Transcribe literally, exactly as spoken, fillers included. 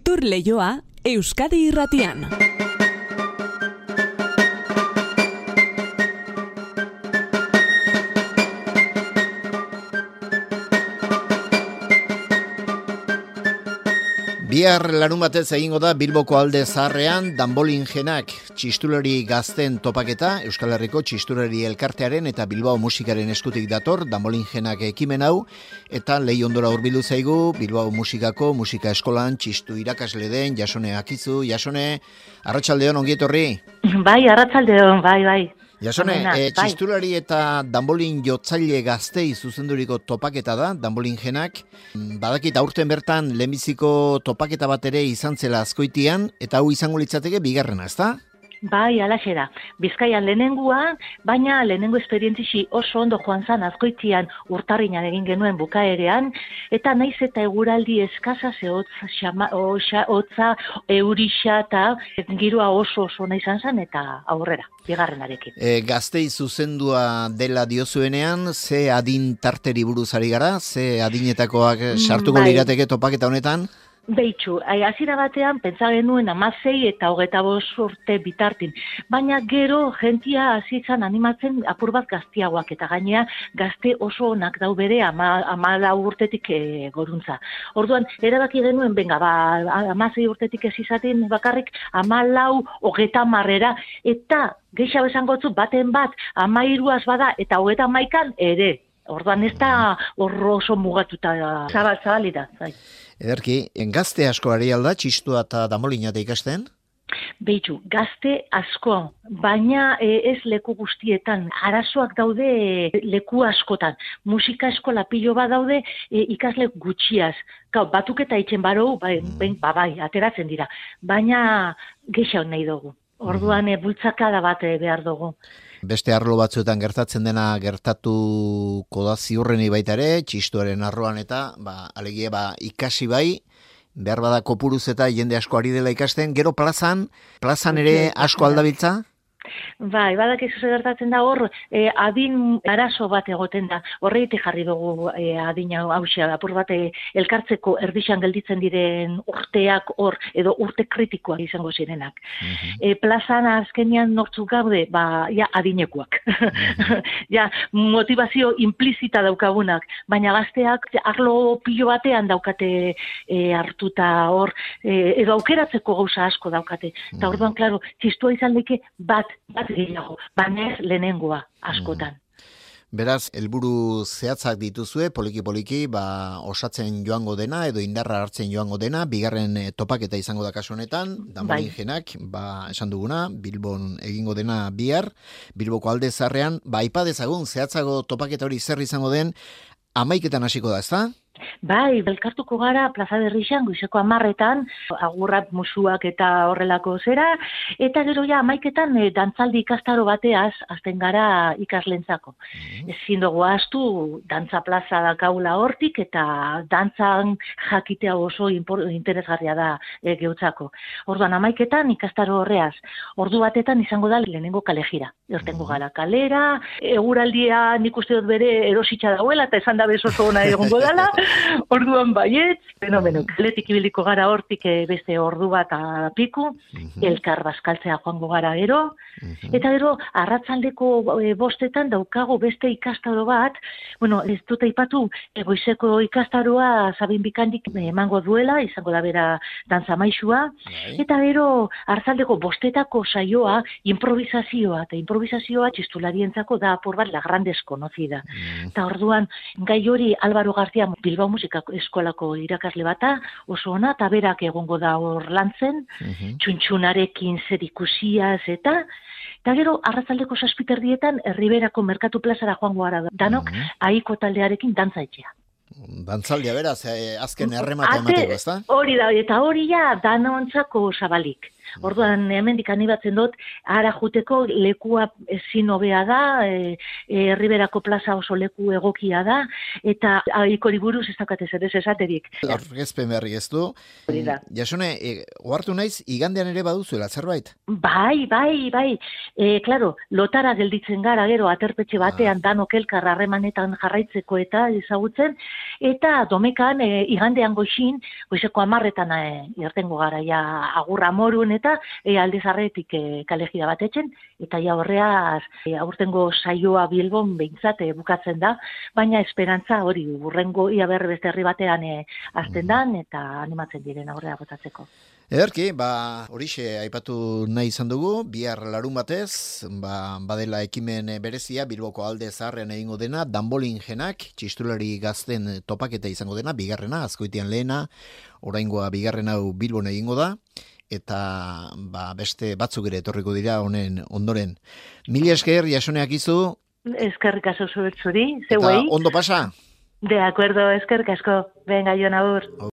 Kultur Leioa Euskadi Irratian. Bihar larun batez egingo da Bilboko Alde Zaharrean danbolin jenak txistulari gazten topaketa, Euskal Herriko txistulari elkartearen eta Bilbao musikaren eskutik dator danbolin jenak ekimen hau, eta lehi ondora hurbildu zaigu Bilbao musikako musika eskolan txistu irakasle den Jasone Akizu. Jasone, arratsaldeon, ongi etorri. Bai, arratsaldeon, bai, bai. Jasone, e, txistulari eta danbolin jotzaile gaztei zuzenduriko topaketa da, danbolin jenak. Badakit aurten bertan lehenbiziko topaketa bat ere izan zela Azkoitian, eta hau izango litzateke bigarrena, ezta? Bai, alaxe da. Bizkaian lehenengua, baina lehenengo esperientzisi oso ondo joan zan Azkoitian urtarrinan egin genuen bukaerean, eta naiz eta eguraldi eskasa ze hotza, xama, oxa, hotza, eurixa eta giroa oso oso nahi izan zen eta aurrera, bigarrenarekin. E, gaztei zuzendua dela diozuenean, ze adin tarteri buruz ari gara, ze adinetakoak sartuko bai. lirateke topaketa honetan? Beitxu, hasiera batean pentsa genuen hamasei eta hogeita bost urte bitartin, baina gero jentia hasi izan animatzen apur bat gaztiagoak eta gainea gazte oso onak dau bere hamalau urtetik e, goruntza. Orduan, erabaki genuen, benga, ba, hamasei urtetik ez izaten bakarrik hamalau hogeita marrera, eta gehiago esango zu baten bat hamairuaz bada eta hogeita hamaikan ere. Orduan ez da horro oso mugatuta zabal, zabali da. Zai. Ederki, gazte asko ari alda, txistua eta danbolina da ikasten? Beitu, gazte asko, baina e, ez leku guztietan, arazoak daude leku askotan. Musika eskola pilo bat daude e, ikasle gutxiaz. Gau, batuk eta itxen baro, bai, mm. ba, bai, ateratzen dira. Baina gehiago nahi dugu. Orduan e, bultzakada bat e, behar dugu. Beste arlo batzuetan gertatzen dena gertatuko da ziurreni baita ere, txistuaren arloan eta ba, alegia ba, ikasi bai, behar bada kopuruz eta jende asko ari dela ikasten, gero plazan, plazan ere asko aldabiltza? Bai, badakizu zer gertatzen da hor, e, adin arazo bat egoten da, horreite jarri dugu e, adina hausia, apur bat e, elkartzeko erdixan gelditzen diren urteak hor, edo urte kritikoak izango zirenak. Uh-huh. E, plazan azkenian nortzuk gaude, ba, ja, adinekuak. Uh-huh. Ja, motivazio implizita daukagunak, baina gazteak arlo pilo batean daukate e, hartuta hor, e, edo aukeratzeko gauza asko daukate. Eta uh-huh. orduan, klaro, txistua izan leke bat bat gehiago, baina ez lehenengoa askotan. Beraz, helburu zehatzak dituzue, poliki-poliki, ba, osatzen joango dena, edo indarra hartzen joango dena, bigarren topaketa izango da kasu honetan, danbolin jenak, ba, esan duguna, Bilbon egingo dena bihar, Bilboko Alde Zaharrean, ba, aipa dezagun, zehatzago topaketa hori zer izango den, hamaiketan hasiko da, ezta? Bai, belkartuko gara Plaza Berrixan, goizeko hamarretan, agurrak musuak eta horrelako zera, eta gero ja amaiketan e, dantzaldi ikastaro bateaz, azten gara ikaslentzako. Mm. Ezin dugu ahaztu, dantza plaza dakaula hortik, eta dantzan jakitea oso impor, interesgarria da e, geutzako. Orduan amaiketan ikastaro horreaz, ordu batetan izango da lehenengo kalejira. Ertengo gara kalera, eguraldia nik uste dut bere erositza dauela, eta esan da bezoso ona egongo dela, orduan baietz, fenomeno, kaletik ibiliko gara hortik beste ordu bat apiku, uh-huh. elkar bazkaltzea joango gara gero, uh-huh. eta gero arratsaldeko e, bostetan daukago beste ikastaro bat, bueno, ez dut aipatu, goizeko ikastaroa Sabin Bikandik emango duela, izango da bera dantza maisua, uh-huh. eta gero arratsaldeko bostetako saioa improvisazioa, eta improvisazioa txistularientzako da apur bat la gran desconocida. Uh-huh. Eta orduan, gai hori Álvaro García Bilbao musika eskolako irakasle bata, oso ona, eta berak egongo da hor lantzen, uh-huh. txuntxunarekin zer ikusiaz, eta eta gero, arratzaldeko saspiterdietan, Herriberako Merkatu Plazara joango gara danok, uh-huh. aiko taldearekin dantza etxea. Dantzaldia beraz, eh, azken erremate emateko, ezta? Hori da, eta hori ja danontzako zabalik. Orduan, hemendik anibatzen dut, ara juteko lekua ezin hobea da, e, e, Herriberako plaza oso leku egokia da, eta ikori buruz ez dakate zer ez esaterik. Aurkezpen berri ez du. Hori da. Jasone, e, ohartu naiz, igandean ere baduzuela zerbait? Bai, bai, bai. E, klaro, lotara gelditzen gara, gero, aterpetxe batean, ah. danok elkar harremanetan jarraitzeko eta ezagutzen, eta domekan, e, igandean goixin, goizeko amarretan e, irtengo gara, ja, agurra morun, eta e, aldezarretik e, kalejida bat etxen, eta ja horreaz, e, aurtengo saioa Bilbon behintzat e, bukatzen da, baina esperantza hori, urrengo ia berre beste herri batean e, azten dan, eta animatzen diren aurrea botatzeko. Ederki, ba, horixe aipatu nahi izan dugu, bihar larun batez, ba, badela ekimen berezia, Bilboko alde zaharrean egingo dena, danbolingenak, txistulari gazten topaketa izango dena, bigarrena, azkoitian lehena, oraingoa bigarren hau Bilbon egingo da, eta ba, beste batzuk ere etorriko dira honen ondoren. Mila esker, Jasoneak izu. Eskerrik asko zuri, zeuei. Eta ondo pasa. De acuerdo, eskerrik asko. Venga, Jon Agur.